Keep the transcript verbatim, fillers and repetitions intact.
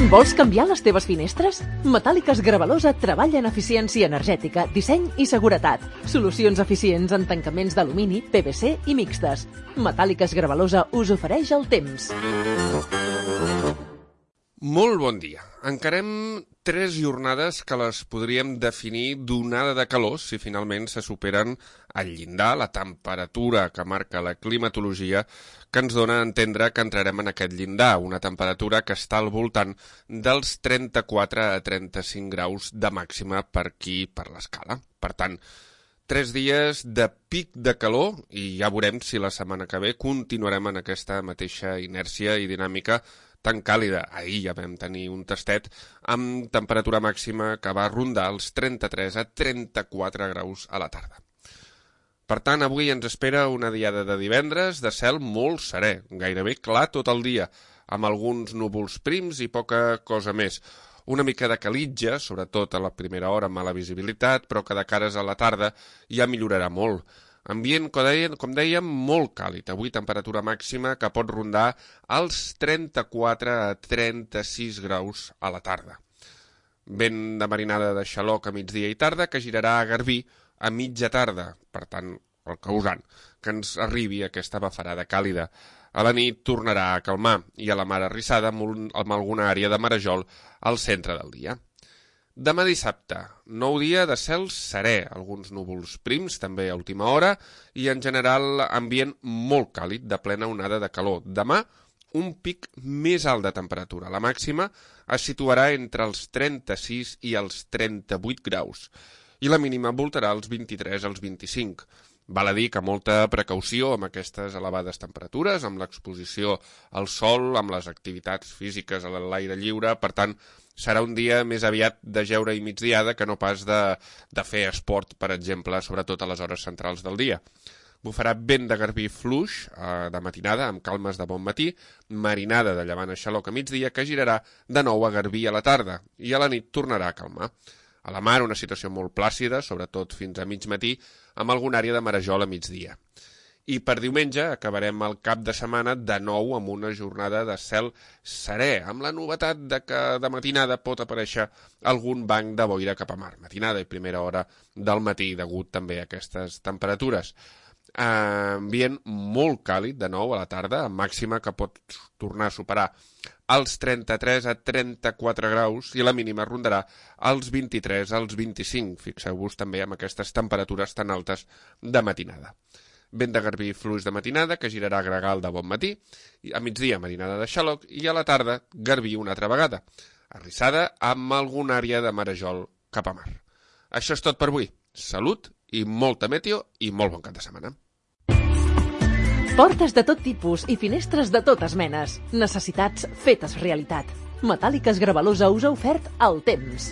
Vols canviar les teves finestres? Metàl·liques Gravalosa treballa en eficiència energètica, disseny i seguretat. Solucions eficients en tancaments d'alumini, P V C i mixtes. Metàl·liques Gravalosa us ofereix el temps. Molt bon dia. Encarem tres jornades que les podríem definir d'onada de calor si finalment se superen el llindar, la temperatura que marca la climatologia, que ens dona a entendre que entrarem en aquest llindar, una temperatura que està al voltant dels trenta-quatre a trenta-cinc graus de màxima per aquí, per l'escala. Per tant, tres dies de pic de calor i ja veurem si la setmana que ve continuarem en aquesta mateixa inèrcia i dinàmica tan càlida. Ahir ja vam tenir un tastet amb temperatura màxima que va rondar els trenta-tres a trenta-quatre graus a la tarda. Per tant, avui ens espera una diada de divendres de cel molt serè, gairebé clar tot el dia, amb alguns núvols prims i poca cosa més. Una mica de calitja, sobretot a la primera hora amb mala visibilitat, però que de cares a la tarda ja millorarà molt. Ambient, com dèiem, molt càlid. Avui temperatura màxima que pot rondar els trenta-quatre a trenta-sis graus a la tarda. Vent de marinada de xaloc a migdia i tarda que girarà a Garbí a mitja tarda, per tant, el causant, que ens arribi aquesta bafarada càlida. A la nit tornarà a calmar i a la mar arrissada amb, un, amb alguna àrea de marejol al centre del dia. Demà dissabte, nou dia de cel serè, alguns núvols prims també a última hora i en general ambient molt càlid de plena onada de calor. Demà un pic més alt de temperatura. La màxima es situarà entre els trenta-sis i els trenta-vuit graus i la mínima voltarà els vint-i-tres als vint-i-cinc. Val a dir que molta precaució amb aquestes elevades temperatures, amb l'exposició al sol, amb les activitats físiques a l'aire lliure, per tant, serà un dia més aviat de jeure i migdiada que no pas de, de fer esport, per exemple, sobretot a les hores centrals del dia. Bufarà vent de garbí fluix eh, de matinada, amb calmes de bon matí, marinada de llevant a xaloc a migdia, que girarà de nou a garbí a la tarda, i a la nit tornarà a calmar. A la mar una situació molt plàcida, sobretot fins a mig matí, amb alguna àrea de marejol a migdia. I per diumenge acabarem el cap de setmana de nou amb una jornada de cel serè, amb la novetat de que de matinada pot aparèixer algun banc de boira cap a mar. Matinada i primera hora del matí, degut també a aquestes temperatures. Ambient molt càlid de nou a la tarda, amb màxima que pot tornar a superar els trenta-tres a trenta-quatre graus i la mínima rondarà els vint-i-tres als vint-i-cinc. Fixeu-vos també amb aquestes temperatures tan altes de matinada. Vent de garbí fluix de matinada que girarà a gregal de bon matí, a migdia marinada de xaloc i a la tarda garbí una altra vegada, arrissada amb alguna àrea de marejol cap a mar. Això és tot per avui. Salut i molta meteo i molt bon cap de setmana. Portes de tot tipus i finestres de totes menes. Necessitats fetes realitat. Metàl·liques Gravalosa us ha ofert el temps.